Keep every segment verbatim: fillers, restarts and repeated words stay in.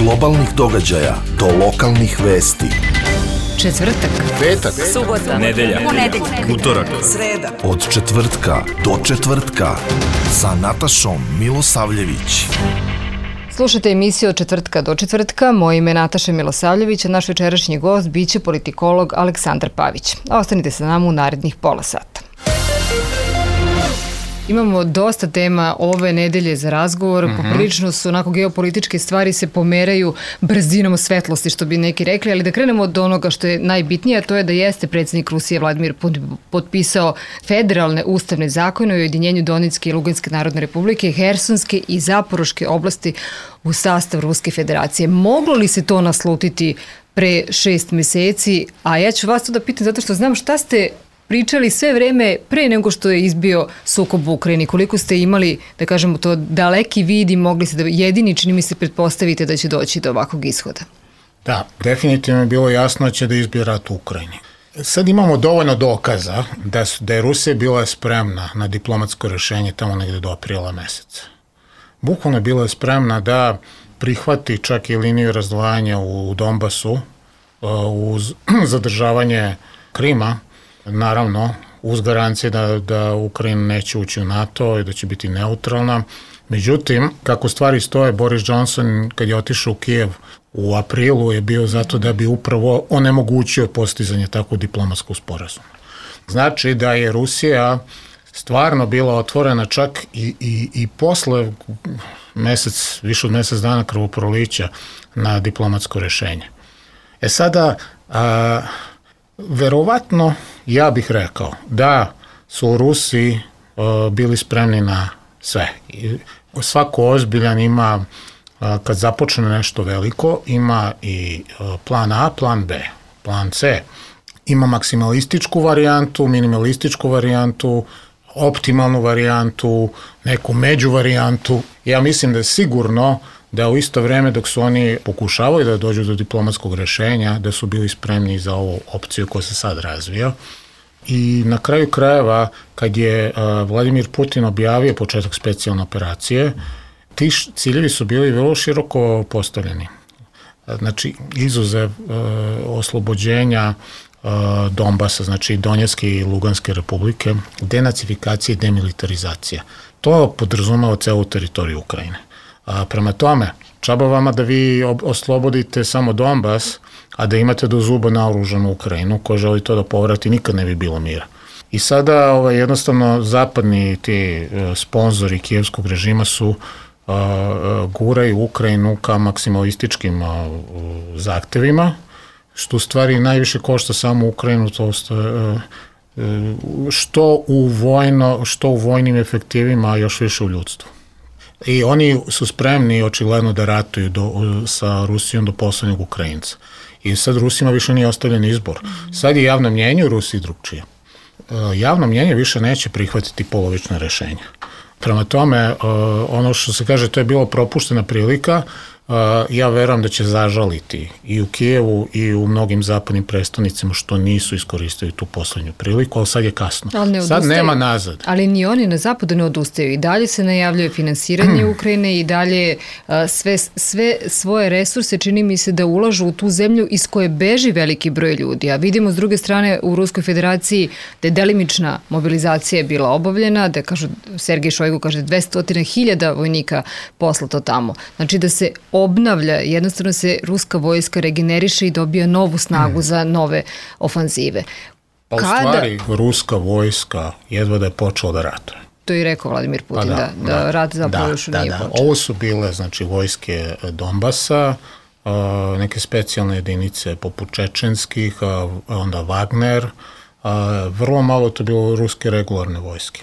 globalnih događaja do lokalnih vesti. Četvrtak, petak, subota, nedelja, ponedeljak, utorak, sreda. Od četvrtka do četvrtka sa Natašom Milosavljević. Slušajte emisiju od četvrtka do četvrtka. Moje ime je Nataša Milosavljević, a naš večerašnji gost biće politikolog Aleksandar Pavić. Ostanite sa nama u narednih pola sata. Imamo dosta tema ove nedelje za razgovor, mm-hmm. poprilično su onako geopolitičke stvari se pomeraju brzinom svetlosti, što bi neki rekli, ali da krenemo od onoga što je najbitnije, a to je da jeste predsjednik Rusije Vladimir Putin potpisao federalne ustavne zakone o ujedinjenju Donetske i Luganske narodne republike, Hersonske i Zaporoške oblasti u sastav Ruske federacije. Moglo li se to naslutiti pre šest meseci? A ja ću vas to da pitam zato što znam šta ste pričali sve vreme pre nego što je izbio sukob u Ukrajini. Koliko ste imali, da kažemo to, daleki vid i mogli ste da jedini, čini mi se, pretpostavite da će doći do ovakvog ishoda? Da, definitivno je bilo jasno da će da izbije rat u Ukrajini. Sad imamo dovoljno dokaza da, su, da je Rusija bila spremna na diplomatsko rešenje tamo negde do aprila meseca. Bukvalno je bila spremna da prihvati čak i liniju razdvajanja u Donbasu uz zadržavanje Krima, naravno, uz garancije da, da Ukrajina neće ući u NATO i da će biti neutralna. Međutim, kako stvari stoje, Boris Johnson, kad je otišao u Kijev u aprilu, je bio zato da bi upravo onemogućio postizanje takvog diplomatskog sporazuma. Znači da je Rusija stvarno bila otvorena čak i, i, i posle mesec, više od mesec dana krvoprolića na diplomatsko rešenje. E sada, a, verovatno, ja bih rekao da su u Rusiji uh, bili spremni na sve. I svako ozbiljan ima, uh, kad započne nešto veliko, ima i uh, plan A, plan B, plan C. Ima maksimalističku varijantu, minimalističku varijantu, optimalnu varijantu, neku među varijantu. Ja mislim da je sigurno da u isto vreme dok su oni pokušavaju da dođu do diplomatskog rešenja, da su bili spremni za ovu opciju koja se sad razvija. I na kraju krajeva, kad je uh, Vladimir Putin objavio početak specijalne operacije, ti ciljevi su bili vrlo široko postavljeni. Znači, izuzev uh, oslobođenja uh, Donbasa, znači Donjetske i Luganske republike, denacifikacija i demilitarizacija. To podrazumeva celu teritoriju Ukrajine. A prema tome, čaba vama da vi oslobodite samo Donbas, a da imate do zuba naoružanu Ukrajinu, koja želi to da povrati, nikad ne bi bilo mira. I sada ovaj, jednostavno zapadni ti uh, sponzori kijevskog režima su uh, uh, guraju Ukrajinu ka maksimalističkim uh, zahtevima, što u stvari najviše košta samo Ukrajinu, to uh, uh, što u vojno, što u vojnim efektivima, a još više u ljudstvu. I oni su spremni očigledno da ratuju do, sa Rusijom do poslednjeg Ukrajinca. I sad Rusima više nije ostavljen izbor. Sad je javno mnjenje u Rusiji drugčije. Javno mnjenje više neće prihvatiti polovične rešenja. Prema tome, ono što se kaže, to je bilo propuštena prilika, ja verujem da će zažaliti i u Kijevu i u mnogim zapadnim prestonicama što nisu iskoristili tu poslednju priliku, ali sad je kasno. Ne sad nema nazad. Ali ni oni na zapadu ne odustaju. I dalje se najavljuje finansiranje hmm. Ukrajine i dalje sve, sve svoje resurse čini mi se da ulažu u tu zemlju iz koje beži veliki broj ljudi. A vidimo s druge strane u Ruskoj federaciji da je delimična mobilizacija bila obavljena, da kažu, Sergej Šojgu kaže dvesta hiljada vojnika poslato tamo. Znači da se obnavlja, jednostavno se ruska vojska regeneriše i dobija novu snagu mm. za nove ofanzive. Pa u Kada... stvari, ruska vojska jedva da je počela da ratuje. To je rekao Vladimir Putin, pa da, da, da rat zapravo da, još da, nije da. počeo. Ovo su bile, znači, vojske Donbasa, uh, neke specijalne jedinice poput čečenskih, uh, onda Wagner, uh, vrlo malo to bilo ruske regularne vojske.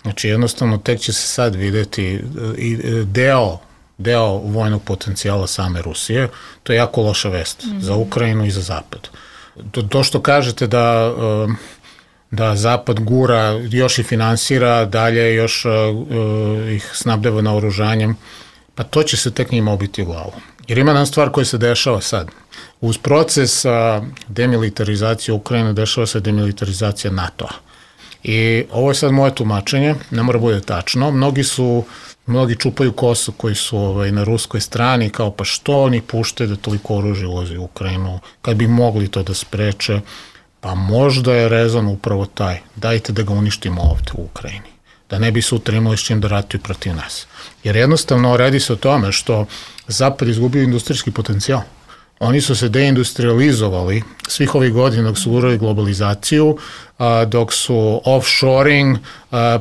Znači, jednostavno, tek će se sad videti uh, deo deo vojnog potencijala same Rusije, to je jako loša vest mm-hmm. za Ukrajinu i za Zapad. To, to što kažete da, da Zapad gura, još i finansira, dalje još uh, ih snabdeva naoružanjem, pa to će se tek njima obiti u glavu. Jer ima nam stvar koja se dešava sad. Uz proces uh, demilitarizacije Ukrajine dešava se demilitarizacija NATO-a. I ovo je sad moje tumačenje, ne mora bude tačno. Mnogi su, mnogi čupaju kosu koji su ovaj, na ruskoj strani, kao pa što oni puštaju da toliko oružje ulazi u Ukrajinu, kad bi mogli to da spreče, pa možda je rezon upravo taj, dajte da ga uništimo ovde u Ukrajini, da ne bi sutra imali s čim da ratuju protiv nas. Jer jednostavno radi se o tome što Zapad izgubio industrijski potencijal. Oni su se deindustrializovali svih ovih godina dok su gurali globalizaciju, dok su offshoring,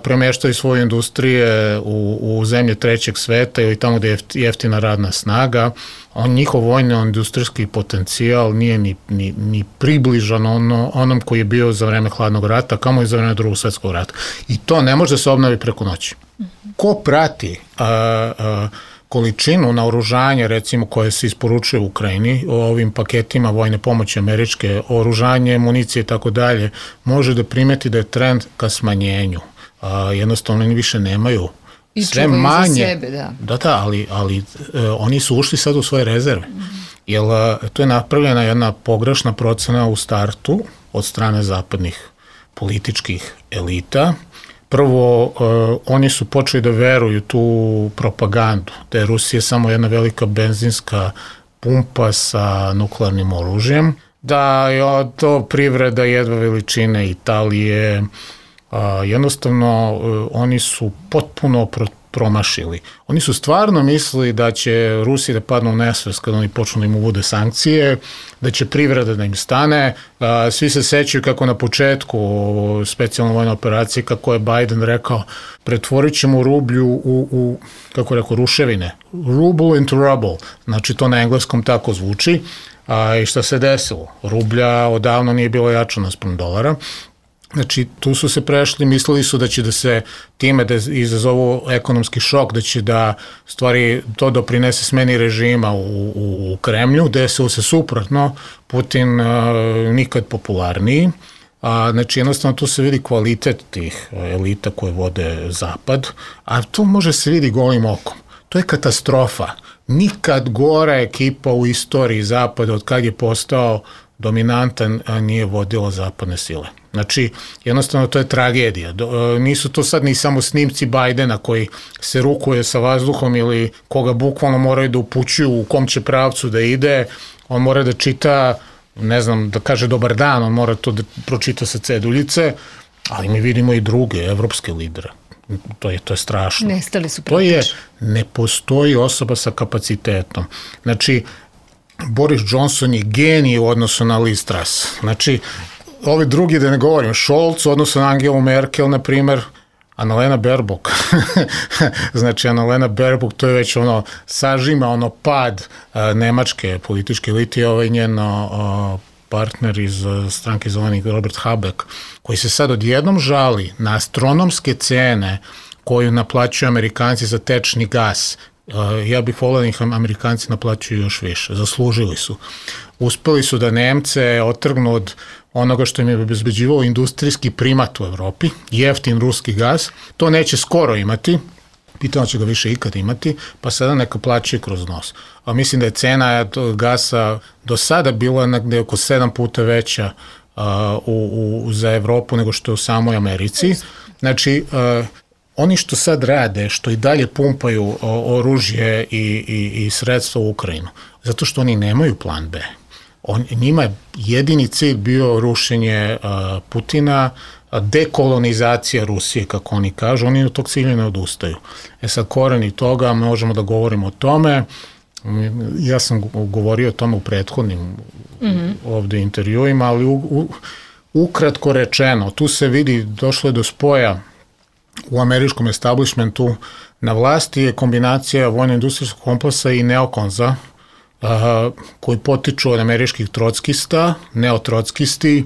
premeštali svoje industrije u, u zemlje trećeg sveta ili tamo gde je jeftina radna snaga. On, njihov vojno-industrijski potencijal nije ni, ni, ni približan ono, onom koji je bio za vreme hladnog rata, kamo i za vreme drugog svetskog rata. I to ne može da se obnovi preko noći. Ko prati a, a, količinu naoružanja, recimo, koje se isporučuje u Ukrajini, o ovim paketima vojne pomoći američke, oružanje, municije i tako dalje, može da primeti da je trend ka smanjenju. A, jednostavno oni više nemaju I sve manje. Za sebe, da. Da, da, ali, ali e, oni su ušli sad u svoje rezerve. Mm-hmm. Jer e, to je napravljena jedna pogrešna procena u startu od strane zapadnih političkih elita. Prvo, uh, oni su počeli da veruju tu propagandu, da je Rusija samo jedna velika benzinska pumpa sa nuklearnim oružjem, da je to privreda jedva veličine Italije, uh, jednostavno uh, oni su potpuno pro- promašili. Oni su stvarno mislili da će Rusiji da padnu u nesvest kada oni počnu da im uvode sankcije, da će privreda da im stane. Svi se sećaju kako na početku specijalne vojne operacije, kako je Biden rekao, pretvorit ćemo rublju u, u kako rekao, ruševine. Ruble into rubble. Znači to na engleskom tako zvuči. A, i šta se desilo? Rublja odavno nije bilo jača naspram dolara. Znači, tu su se prešli, mislili su da će da se time da izazovu ekonomski šok, da će da stvari to doprinese smeni režima u, u, u Kremlju, desilo se suprotno, Putin a, nikad popularniji. A, znači, jednostavno tu se vidi kvalitet tih elita koje vode Zapad, a tu može se vidi golim okom. To je katastrofa. Nikad gora ekipa u istoriji Zapada od kad je postao dominantan, a nije vodila zapadne sile. Znači, jednostavno to je tragedija. Do, nisu to sad ni samo snimci Bajdena koji se rukuje sa vazduhom ili koga bukvalno moraju da upućuju u kom će pravcu da ide. On mora da čita, ne znam, da kaže dobar dan, on mora to da pročita sa ceduljice, ali mi vidimo i druge evropske lidere. To je, to je strašno. Nestali su to je, ne postoji osoba sa kapacitetom. Znači, Boris Johnson je genij u odnosu na Liz Truss. Znači, ovi drugi, da ne govorim, Scholz u odnosu na Angelu Merkel, na primer, Annalena Baerbock. Znači, Annalena Baerbock, to je već ono, sažima ono pad a, nemačke političke elite, ovaj njen a, partner iz a, stranke zelenih, Robert Habeck, koji se sad odjednom žali na astronomske cene koju naplaćuju Amerikanci za tečni gas. Ja bih volio da ih Amerikanci naplaćuju još više. Zaslužili su. Uspeli su da Nemce otrgnu od onoga što im je obezbeđivalo industrijski primat u Evropi, jeftin ruski gas. To neće skoro imati, pitamo će ga više ikad imati, pa sada neka plaćaju kroz nos. A mislim da je cena gasa do sada bila negde oko sedam puta veća uh, u, u, za Evropu nego što je u samoj Americi. Znači, uh, oni što sad rade, što i dalje pumpaju oružje i, i, i sredstva u Ukrajinu, zato što oni nemaju plan B. On, njima je jedini cilj bio rušenje uh, Putina, dekolonizacija Rusije, kako oni kažu, oni od tog cilja ne odustaju. E sad, koreni toga, možemo da govorimo o tome, ja sam govorio o tome u prethodnim mm-hmm. ovde intervjuima, ali u, u, ukratko rečeno, tu se vidi, došlo je do spoja u američkom establishmentu. Na vlasti je kombinacija vojno-industrijskog kompleksa i neokonza, uh, koji potiču od američkih trockista, neotrockisti,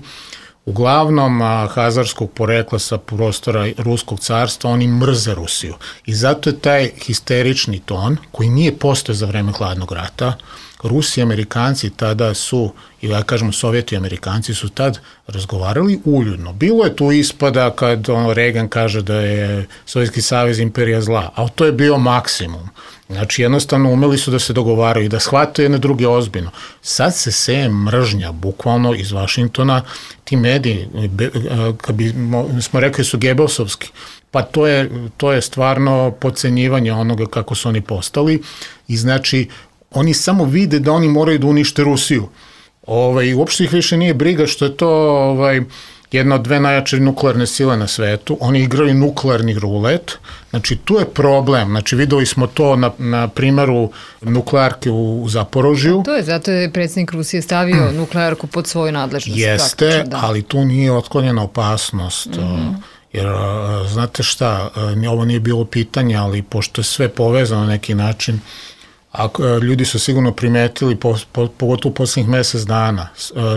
uglavnom uh, hazarskog porekla sa prostora Ruskog carstva. Oni mrze Rusiju. I zato je taj histerični ton, koji nije postojao za vreme hladnog rata. Rusi i Amerikanci tada su i ja kažem Sovjeti i Amerikanci su tad razgovarali uljudno. Bilo je tu ispada kad ono, Reagan kaže da je Sovjetski savez imperija zla, ali to je bio maksimum. Znači jednostavno umeli su da se dogovaraju i da shvataju jedne druge ozbiljno. Sad se seje mržnja, bukvalno iz Vašingtona, ti mediji, kad bi smo rekli su Gebelsovski, pa to je, to je stvarno podcenjivanje onoga kako su oni postali i znači oni samo vide da oni moraju da unište Rusiju. Ovaj, uopšte ih više nije briga što je to ovaj, jedna od dve najjače nuklearne sile na svetu. Oni igraju nuklearni rulet. Znači, tu je problem. Znači, videli smo to na, na primeru nuklearke u, u Zaporožju. To je, zato je predsjednik Rusije stavio mm. nuklearku pod svoju nadležnost. Jeste, da. Ali tu nije otklonjena opasnost. Mm-hmm. Jer, znate šta, ovo nije bilo pitanje, ali pošto je sve povezano na neki način, a ljudi su sigurno primetili, po, po, pogotovo u posljednjih mesec dana,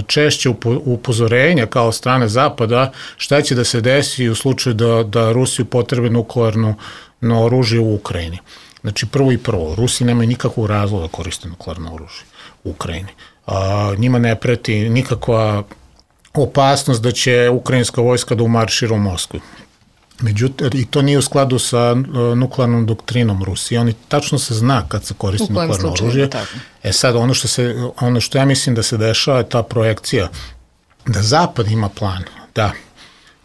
češće upozorenja kao strane Zapada šta će da se desi u slučaju da, da Rusiju potrebe nuklearno oružje u Ukrajini. Znači prvo i prvo, Rusi nemaju nikakvog razloga da koriste nuklearno oružje u Ukrajini. A, njima ne preti nikakva opasnost da će ukrajinska vojska da umaršira u Moskvu. Međutim, i to nije u skladu sa uh, nuklearnom doktrinom Rusije. Oni tačno se zna kad se koristi nuklearno oružje. E sad, ono što, se, ono što ja mislim da se dešava je ta projekcija da Zapad ima plan, da.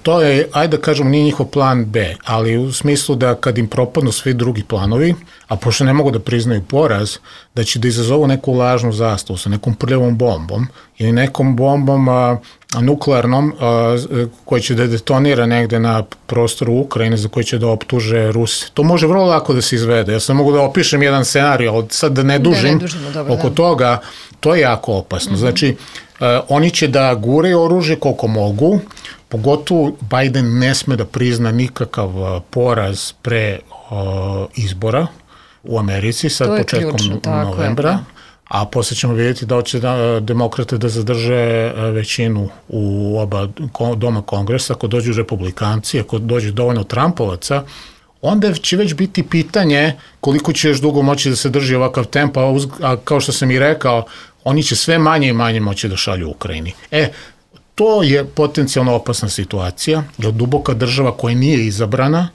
To je, ajde da kažemo, nije njihov plan B, ali u smislu da kad im propadnu svi drugi planovi, a pošto ne mogu da priznaju poraz, da će da izazovu neku lažnu zastavu sa nekom prljavom bombom ili nekom bombom a, nuklearnom a, koja će da detonira negde na prostoru Ukrajine za koje će da optuže Rusi. To može vrlo lako da se izvede. Ja sam mogu da opišem jedan scenarij, ali sad da ne dužim da ne dužimo, dobro, oko da. toga, to je jako opasno. Mm-hmm. Znači, a, oni će da guraju oružje koliko mogu, pogotovo Biden ne sme da prizna nikakav poraz pre o, izbora u Americi, sad početkom ključno, novembra, je, a posle ćemo vidjeti da će da, demokrate da zadrže većinu u oba doma kongresa, ako dođu republikanci, ako dođe dovoljno Trumpovaca, onda će već biti pitanje koliko će još dugo moći da se drži ovakav tempo, a, uz, a kao što sam i rekao, oni će sve manje i manje moći da šalju u Ukrajini. E, to je potencijalno opasna situacija, jer duboka država koja nije izabrana,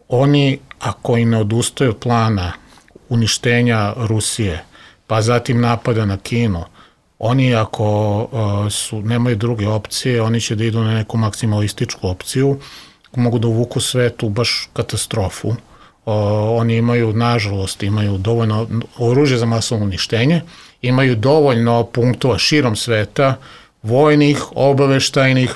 oni, ako i ne odustaju od plana uništenja Rusije, pa zatim napada na Kinu, oni ako uh, su, nemaju druge opcije, oni će da idu na neku maksimalističku opciju, mogu da uvuku svetu baš katastrofu. Uh, oni imaju, nažalost, imaju dovoljno oružje za masovno uništenje, imaju dovoljno punktova širom sveta, vojnih, obaveštajnih,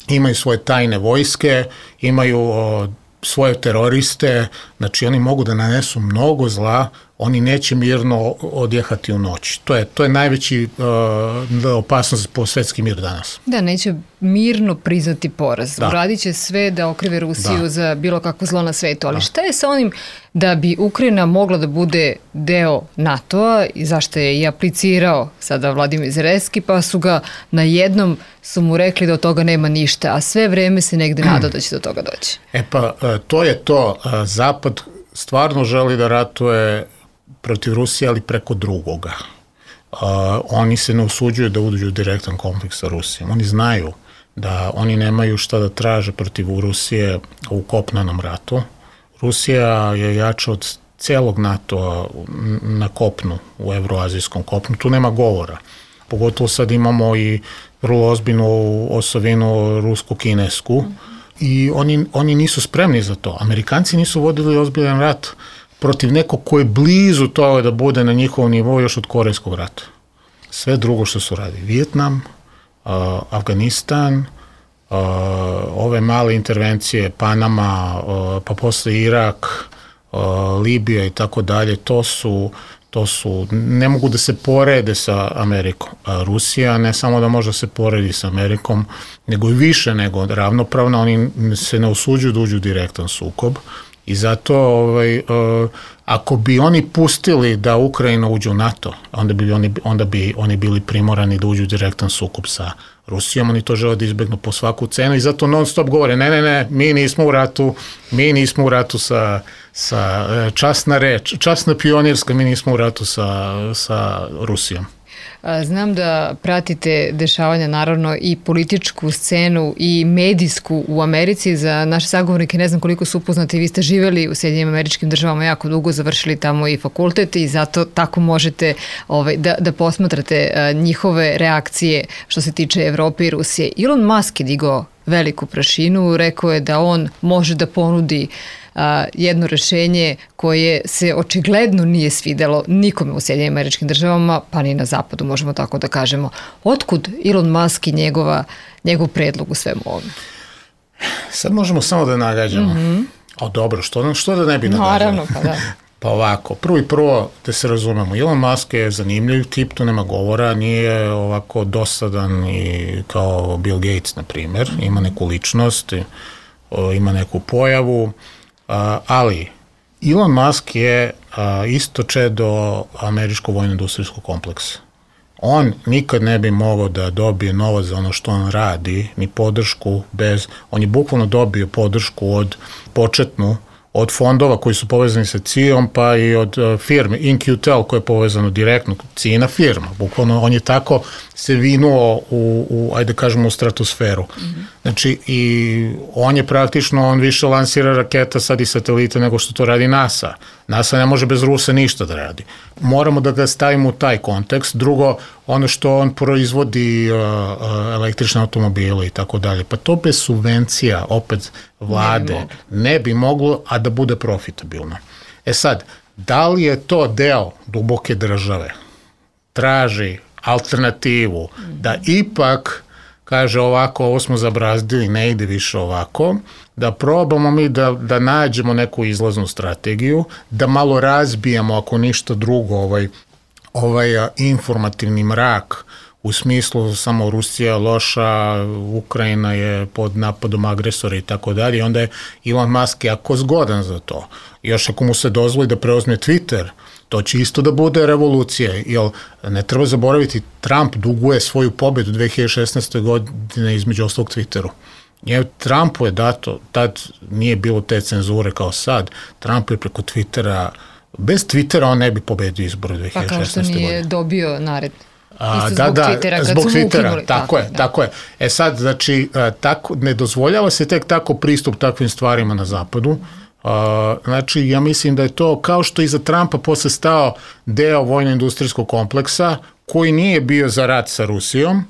imaju svoje tajne vojske, imaju o, svoje teroriste, znači oni mogu da nanesu mnogo zla, oni neće mirno odjehati u noć. To je, to je najveći uh, opasnost po svetski mir danas. Da, neće mirno priznati poraz. Da. Uradit će sve da okrive Rusiju da. za bilo kakvo zlo na svetu. Ali da. šta je sa onim da bi Ukrajina mogla da bude deo NATO-a i zašto je i aplicirao sada Vladimir Zelenski, pa su ga na jednom su mu rekli da od toga nema ništa, a sve vreme se negde nadao da će do toga doći. E pa, to je to. Zapad stvarno želi da ratuje protiv Rusije, ali preko drugoga. Uh, oni se ne usuđuju da uđu u direktan konflikt sa Rusijom. Oni znaju da oni nemaju šta da traže protiv Rusije u kopnenom ratu. Rusija je jača od celog NATO na kopnu, u evroazijskom kopnu. Tu nema govora. Pogotovo sad imamo i vrlo ozbiljnu osovinu rusko-kinesku i oni, oni nisu spremni za to. Amerikanci nisu vodili ozbiljan rat protiv nekog ko je blizu toga da bude na njihovom nivou još od Korejskog rata. Sve drugo što su radili. Vijetnam, uh, Afganistan, uh, ove male intervencije, Panama, uh, pa posle Irak, uh, Libija i tako dalje, to su, to su, ne mogu da se porede sa Amerikom. A Rusija ne samo da može da se poredi sa Amerikom, nego i više nego ravnopravna, oni se ne usuđuju da uđu u direktan sukob. I zato, ovaj, uh, ako bi oni pustili da Ukrajina uđe u NATO, onda bi oni, onda bi oni bili primorani da uđu u direktan sukob sa Rusijom, oni to žele da izbegnu po svaku cenu i zato non stop govore, ne, ne, ne, mi nismo u ratu, mi nismo u ratu sa, sa časna reč, časna pionirska, mi nismo u ratu sa, sa Rusijom. Znam da pratite dešavanja, naravno, i političku scenu i medijsku u Americi. Za naše sagovornike ne znam koliko su upoznati, vi ste živeli u Sjedinjenim Američkim Državama jako dugo, završili tamo i fakultet i zato tako možete ovaj, da, da posmatrate a, njihove reakcije što se tiče Evrope i Rusije. Elon Musk je digao veliku prašinu, rekao je da on može da ponudi a, jedno rešenje koje se očigledno nije svidelo nikome u Sjedinjenim Američkim Državama, pa ni na zapadu, možemo tako da kažemo. Otkud Elon Musk i njegova, njegov predlog u svemu ovome? Sad možemo samo da nagađamo. Mm-hmm. O dobro, što, što da ne bi nagađamo? Naravno, pa da. Pa ovako, prvo i prvo da se razumemo, Elon Musk je zanimljiv tip, tu nema govora, nije ovako dosadan i kao Bill Gates, na primjer, ima neku ličnost, ima neku pojavu, ali Elon Musk je isto čedo američkog vojno-industrijskog kompleksa. On nikad ne bi mogao da dobije novac za ono što on radi, ni podršku bez, on je bukvalno dobio podršku od početnu, od fondova koji su povezani sa C I A-om, pa i od uh, firme In Q Tel koja je povezano direktno, C I A-na firma. Bukvalno on je tako se vinuo u, u ajde kažemo, u stratosferu. Mm-hmm. Znači, i on je praktično, on više lansira raketa sad i satelita nego što to radi NASA. NASA ne može bez Rusa ništa da radi. Moramo da ga stavimo u taj kontekst. Drugo, ono što on proizvodi uh, uh, električne automobile i tako dalje. Pa to bez subvencija, opet vlade, ne bi, ne bi moglo, a da bude profitabilno. E sad, da li je to deo duboke države? Traži alternativu, mm-hmm. da ipak kaže ovako, ovo smo zabrazdili, ne ide više ovako, da probamo mi da, da nađemo neku izlaznu strategiju, da malo razbijemo, ako ništa drugo, ovaj, ovaj informativni mrak, u smislu samo Rusija loša, Ukrajina je pod napadom agresora i tako dalje, i onda je Elon Musk jako zgodan za to. Još ako mu se dozvoli da preuzme Twitter, to će isto da bude revolucija, jer ne treba zaboraviti, Trump duguje svoju pobedu dve hiljade šesnaeste. godine između ostalog Twitteru. Je, Trumpu je dato, tad nije bilo te cenzure kao sad, Trump je preko Twittera, bez Twittera on ne bi pobedio izbor dve hiljade šesnaeste. Pa kao što nije godine. Dobio nared. A, da, da, Twittera, zbog Twittera, tako, tako je, da. tako je. E sad, znači, tako, ne dozvoljava se tek tako pristup takvim stvarima na zapadu. Uh, znači, ja mislim da je to kao što iza Trumpa posle stao deo vojno-industrijskog kompleksa koji nije bio za rat sa Rusijom,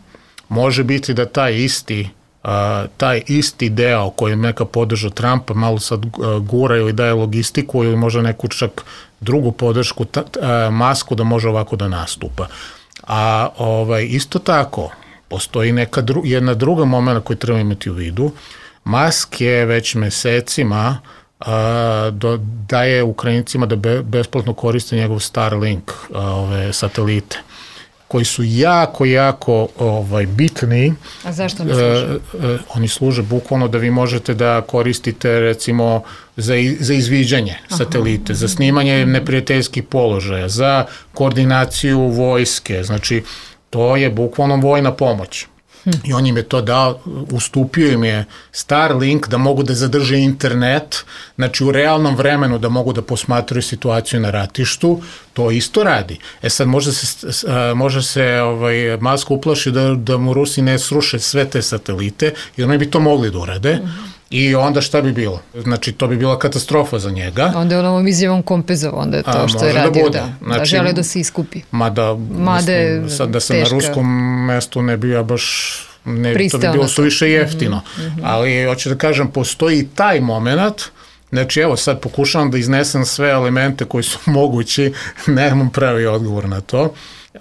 može biti da taj isti uh, taj isti deo koji je neka podržao Trumpa malo sad uh, gura ili daje logistiku ili možda neku čak drugu podršku ta, uh, Musku da može ovako da nastupa. A ovaj, isto tako postoji neka dru, jedna druga momena koju treba imati u vidu. Musk je već mesecima a, do, daje Ukrajincima da be, besplatno koriste njegov Starlink a, ove satelite koji su jako, jako ovaj, bitni. A zašto oni služe? E, e, oni služe bukvalno da vi možete da koristite recimo za, za izviđanje satelite, Aha. za snimanje neprijateljskih položaja, za koordinaciju vojske, znači to je bukvalno vojna pomoć. I on im je to dao, ustupio im je Starlink da mogu da zadrže internet, znači u realnom vremenu da mogu da posmatraju situaciju na ratištu, to isto radi. E sad može se, može se ovaj, Musk uplaši da, da mu Rusi ne sruše sve te satelite, jer oni bi to mogli da urade. Uh-huh. I onda šta bi bilo? Znači, to bi bila katastrofa za njega. Onda je on ovom izjavom kompenzovao, onda je to A, što je radio, da, da, znači, da žele da se iskupi. Mada, Made, mislim, sad da sam teška. Na ruskom mestu ne bi ja baš, ne, to bi bilo suviše jeftino. Mm-hmm. Ali, hoću da kažem, postoji i taj moment, znači, evo, sad pokušavam da iznesem sve elemente koji su mogući, nemam pravi odgovor na to,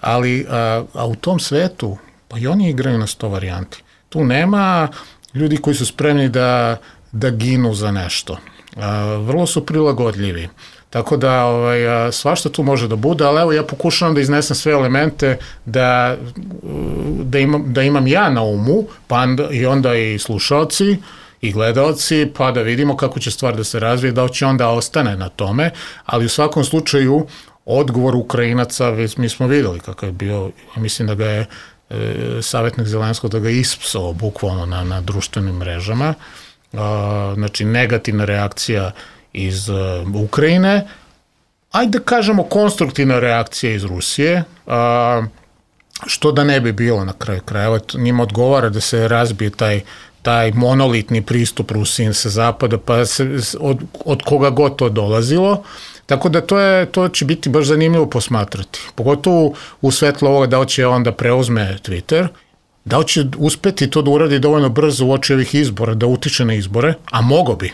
ali a, a u tom svetu, pa i oni igraju na sto varijanti. Tu nema ljudi koji su spremni da, da ginu za nešto. A, vrlo su prilagodljivi. Tako da ovaj, svašta tu može da bude, ali evo ja pokušavam da iznesem sve elemente da, da, imam, da imam ja na umu, pa onda, i onda i slušalci i gledaoci, pa da vidimo kako će stvar da se razvije, da će onda ostane na tome, ali u svakom slučaju odgovor Ukrajinaca, mi smo videli kakav je bio, mislim da ga je savjetnik Zelenskog da ga ispsao bukvalno na, na društvenim mrežama, a, znači negativna reakcija iz uh, Ukrajine, ajde da kažemo konstruktivna reakcija iz Rusije, a, što da ne bi bilo na kraju krajeva, njima odgovara da se razbije taj taj monolitni pristup Rusiji sa zapada, pa se, od, od koga god to dolazilo. Tako da to, je, to će biti baš zanimljivo posmatrati. Pogotovo u svetlu ovoga da će on da preuzme Twitter, da će uspeti to da uradi dovoljno brzo u oči ovih izbora, da utiče na izbore, a mogo bi.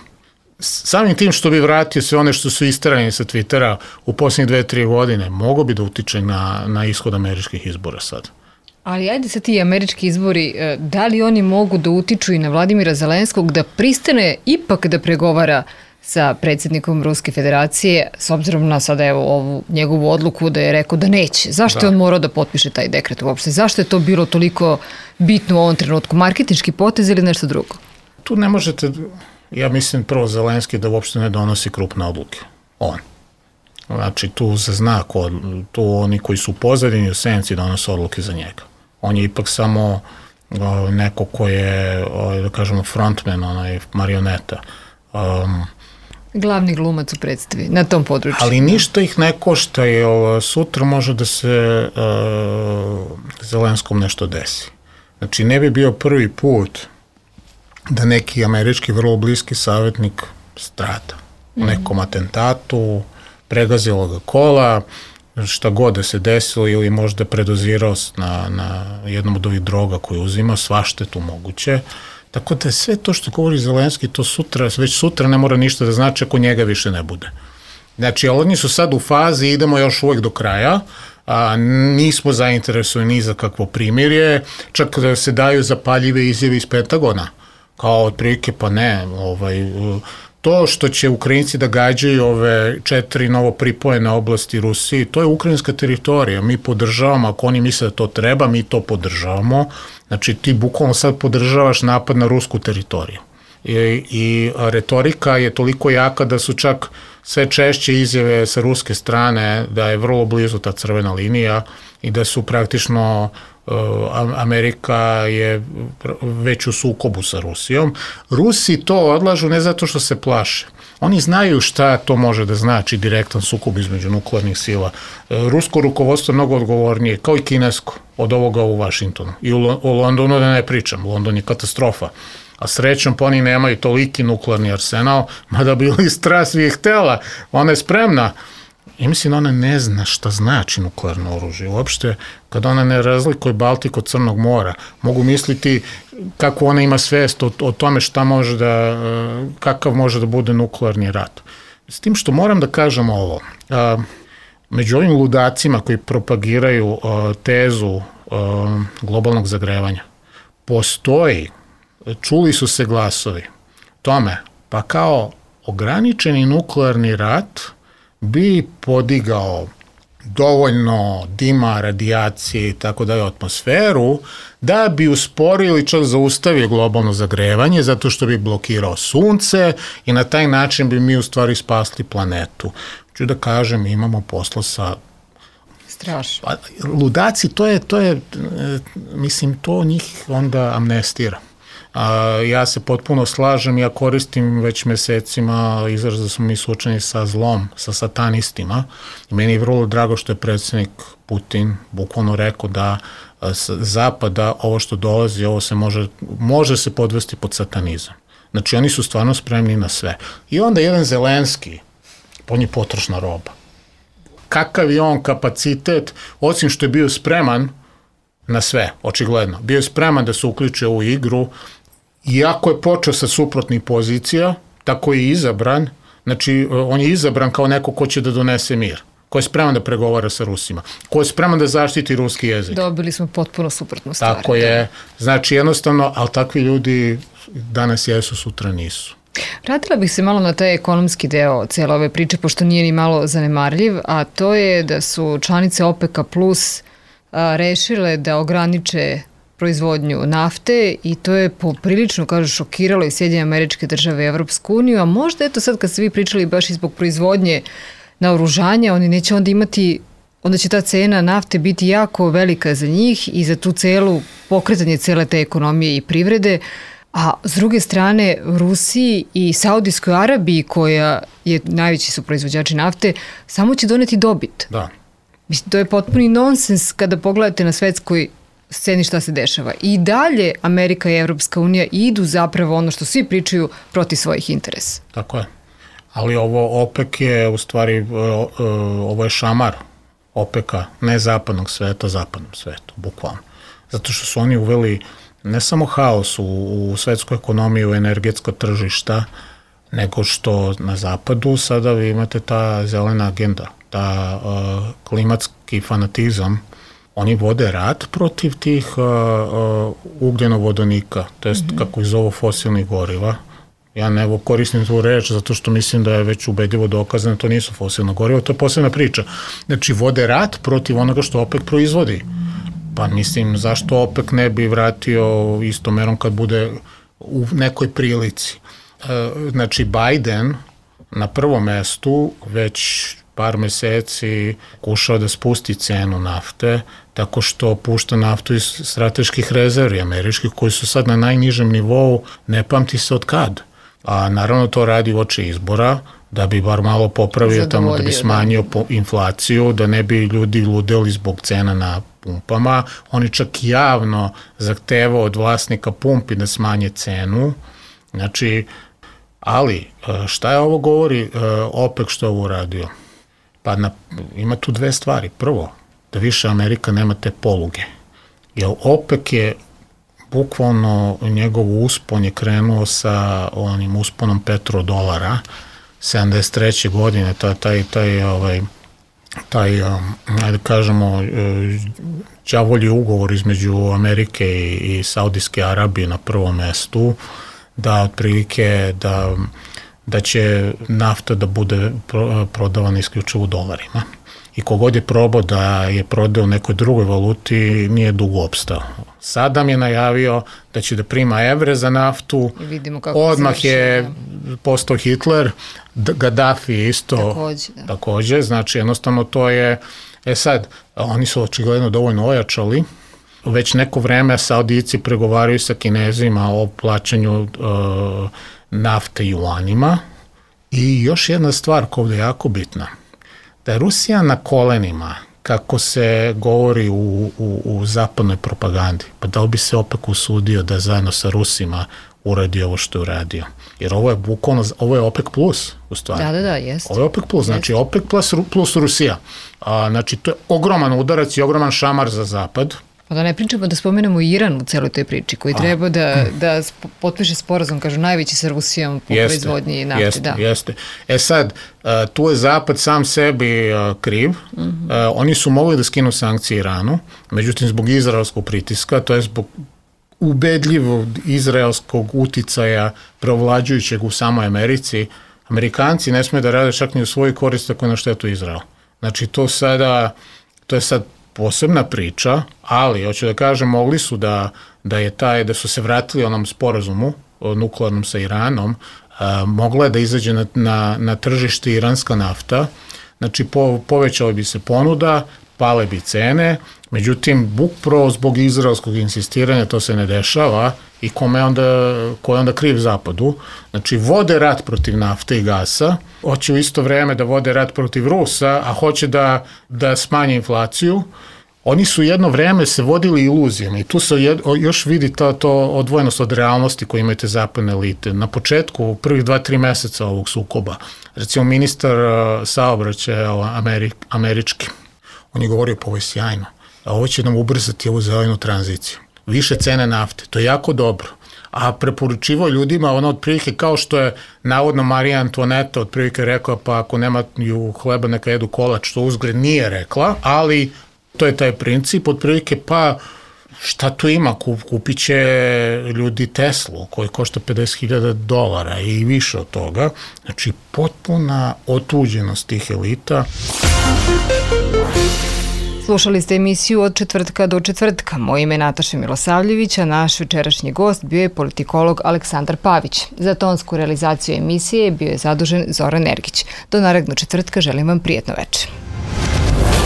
Samim tim što bi vratio sve one što su isterani sa Twittera u posljednjih dve, tri godine, mogo bi da utiče na, na ishod američkih izbora sad. Ali ajde sad ti američki izbori, da li oni mogu da utiču i na Vladimira Zelenskog da pristane ipak da pregovara sa predsjednikom Ruske federacije, s obzirom na sada evo ovu njegovu odluku da je rekao da neće. Zašto da. je on morao da potpiše taj dekret uopšte? Zašto je to bilo toliko bitno u ovom trenutku? Marketinški potez ili nešto drugo? Tu ne možete, ja mislim prvo Zelenski da uopšte ne donosi krupne odluke. On. Znači tu se zna, ko, tu oni koji su u pozadini u senci donose odluke za njega. On je ipak samo o, neko ko je, o, da kažemo, frontman, onaj marioneta. Um, Glavni glumac u predstavi, na tom području. Ali ništa ih ne košta i o, sutra može da se o, Zelenskom nešto desi. Znači ne bi bio prvi put da neki američki vrlo bliski savjetnik strada. U nekom atentatu, pregazilo ga kola, šta god da se desilo ili možda predozirao na, na jednom od ovih droga koje uzima, svašta je tu moguće. Tako da sve to što govori Zelenski, to sutra, već sutra ne mora ništa da znači ako njega više ne bude. Znači, oni su sad u fazi, idemo još uvek do kraja, a nismo zainteresovani ni za kakvo primirje, čak da se daju zapaljive izjave iz Pentagona, kao otprilike pa ne, ovaj, to što će Ukrajinci da gađaju ove četiri novo pripojene oblasti Rusiji, to je ukrajinska teritorija, mi podržavamo, ako oni misle da to treba, mi to podržavamo, znači ti bukvalno sad podržavaš napad na rusku teritoriju. I, i retorika je toliko jaka da su čak sve češće izjave sa ruske strane da je vrlo blizu ta crvena linija i da su praktično Amerika je već u sukobu sa Rusijom. Rusi to odlažu ne zato što se plaše. Oni znaju šta to može da znači direktan sukob između nuklearnih sila. Rusko rukovodstvo je mnogo odgovornije, kao i kinesko, od ovoga u Vašingtonu. I u Londonu da ne pričam, London je katastrofa. A srećom pa oni nemaju toliki nuklearni arsenal, mada bi Listra svi je htela, ona je spremna. I mislim, ona ne zna šta znači nuklearno oružje. Uopšte, kada ona ne razlikuje Baltik od Crnog mora, mogu misliti kako ona ima svest o, o tome šta može da, kakav može da bude nuklearni rat. S tim što moram da kažem ovo, a, među ovim ludacima koji propagiraju a, tezu a, globalnog zagrevanja, postoji, čuli su se glasovi tome, pa kao ograničeni nuklearni rat bi podigao dovoljno dima, radijacije i tako dalje u atmosferu, da bi usporio ili čak zaustavio globalno zagrevanje, zato što bi blokirao sunce i na taj način bi mi u stvari spasli planetu. Ću da kažem, imamo posla sa... Strašno. Pa, ludaci, to je, to je, mislim, to njih onda amnestira. A, ja se potpuno slažem, ja koristim već mesecima izraz da smo mi suočeni sa zlom, sa satanistima. I meni je vrlo drago što je predsjednik Putin bukvalno rekao da s zapada ovo što dolazi, ovo se može, može se podvesti pod satanizam. Znači oni su stvarno spremni na sve. I onda jedan Zelenski, on je potrošna roba. Kakav je on kapacitet, osim što je bio spreman na sve, očigledno. Bio je spreman da se uključe u igru, iako je počeo sa suprotnih pozicija, tako je izabran, znači on je izabran kao neko ko će da donese mir, ko je spreman da pregovara sa Rusima, ko je spreman da zaštiti ruski jezik. Dobili smo potpuno suprotnu stvar. Tako je, znači jednostavno, ali takvi ljudi danas jesu, sutra nisu. Vratila bih se malo na taj ekonomski deo cijele ove priče, pošto nije ni malo zanemarljiv, a to je da su članice OPEC-a plus a, rešile da ograniče proizvodnju nafte i to je poprilično, kažu, šokiralo i Sjedinjene Američke Države i Evropsku uniju, a možda eto sad kad ste vi pričali baš i zbog proizvodnje naoružanja, oni neće onda imati, onda će ta cena nafte biti jako velika za njih i za tu celu, pokretanje cele te ekonomije i privrede, a s druge strane Rusiji i Saudijskoj Arabiji, koja je najveći su proizvođači nafte, samo će doneti dobit. Da. Mislim, to je potpuni nonsens kada pogledate na svetskoj sceni šta se dešava. I dalje Amerika i Evropska unija idu zapravo ono što svi pričaju protiv svojih interesa. Tako je. Ali ovo OPEC je u stvari, ovo je šamar OPEC-a, ne zapadnog sveta, zapadnom svetu, bukvalno. Zato što su oni uveli ne samo haos u, u svetsku ekonomiju, energetsko tržišta, nego što na zapadu sada vi imate ta zelena agenda, ta uh, klimatski fanatizam. Oni vode rat protiv tih uh, uh, ugljenovodonika, to jest mm-hmm. kako ih zovu fosilnih goriva. Ja ne koristim tu reč zato što mislim da je već ubedljivo dokazano, to nisu fosilna goriva, to je posebna priča. Znači, vode rat protiv onoga što OPEC proizvodi. Pa mislim, zašto OPEC ne bi vratio istom merom kad bude u nekoj prilici? Znači, Biden na prvom mestu već par meseci kušao da spusti cenu nafte tako što pušta naftu iz strateških rezervi američkih koji su sad na najnižem nivou, ne pamti se od kad. A naravno to radi uoči izbora da bi bar malo popravio tamo, da bi smanjio da. inflaciju, da ne bi ljudi ludeli zbog cena na pumpama. Oni čak javno zahtevao od vlasnika pumpi da smanje cenu. Znači, ali šta je ovo govori OPEC što je ovo uradio? Pa na, ima tu dve stvari. Prvo, da više Amerika nema te poluge. Jer OPEC je bukvalno njegov uspon je krenuo sa onim usponom petrodolara sedamdeset treće godine, taj, taj, taj, ovaj, taj ajde kažemo, đavolji ugovor između Amerike i, i Saudijske Arabije na prvom mestu, da otprilike da, da će nafta da bude prodavana isključivo u dolarima. I kogod je probao da je prodao u nekoj drugoj valuti, nije dugo opstao. Sad nam je najavio da će da prima evre za naftu, odmah je postao Hitler, Gaddafi isto takođe, da. takođe, znači jednostavno to je, e sad, oni su očigledno dovoljno ojačali, već neko vreme Saudijci pregovaraju sa Kinezima o plaćanju uh, nafte juanima i još jedna stvar koja je jako bitna, da je Rusija na kolenima, kako se govori u, u, u zapadnoj propagandi, pa da li bi se opet usudio da zajedno sa Rusima uradi ovo što je uradio. Jer ovo je bukvalno, ovo je OPEC plus, u stvari. Da, da, da, jeste. Ovo je OPEC plus, znači OPEC plus, plus Rusija. A, znači, to je ogroman udarac i ogroman šamar za zapad. Pa da ne pričamo da spomenemo Iran u celoj toj priči, koji treba da, da potpiše sporazum, kažu, najveći sa Rusijom po jeste, proizvodnji nafte. Jeste, da. jeste. E sad, tu je Zapad sam sebi kriv. Mm-hmm. Oni su mogli da skinu sankcije Iranu, međutim, zbog izraelskog pritiska, to je zbog ubedljivog izraelskog uticaja preovlađujućeg u samoj Americi, Amerikanci ne smiju da rade čak ni u svoj korist ako je na štetu Izrael. Znači, to sada, to je sad posebna priča, ali, hoću da kažem, mogli su da, da je taj, da su se vratili onom sporazumu nuklearnom sa Iranom, a, mogla je da izađe na, na, na tržište iranska nafta, znači po, povećala bi se ponuda, pale bi cene, međutim, bukpravo zbog izraelskog insistiranja to se ne dešava i kome onda, ko je onda kriv Zapadu. Znači, vode rat protiv nafte i gasa, hoće u isto vreme da vode rat protiv Rusa, a hoće da, da smanje inflaciju. Oni su jedno vreme se vodili iluzijama i tu se jed, još vidi to, to odvojenost od realnosti koju imate zapadne elite. Na početku, u prvih dva, tri meseca ovog sukoba, recimo ministar uh, saobraćaja Amerik, američki, on je govorio pa ovo je sjajno, a ovo će nam ubrzati ovu zelenu tranziciju. Više cene nafte, to je jako dobro. A preporučivao ljudima ono otprilike kao što je navodno Marija Antoaneta otprilike rekla pa ako nemaju hleba neka jedu kolač, što uzgred nije rekla, ali to je taj princip, otprilike pa šta tu ima, kupit će ljudi Teslu koji košta pedeset hiljada dolara i više od toga, znači potpuna otuđenost tih elita. Slušali ste emisiju Od četvrtka do četvrtka. Moje ime je Nataša Milosavljević, a naš večerašnji gost bio je politikolog Aleksandar Pavić. Za tonsku realizaciju emisije bio je zadužen Zoran Ergić. Do narednog četvrtka želim vam prijatno večer.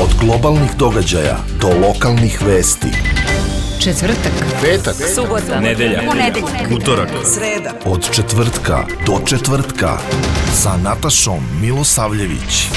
Od globalnih događaja do lokalnih vesti. Četvrtak, petak, subota, nedelja, ponedeljak, utorak, sreda. Od četvrtka do četvrtka sa Natašom Milosavljević.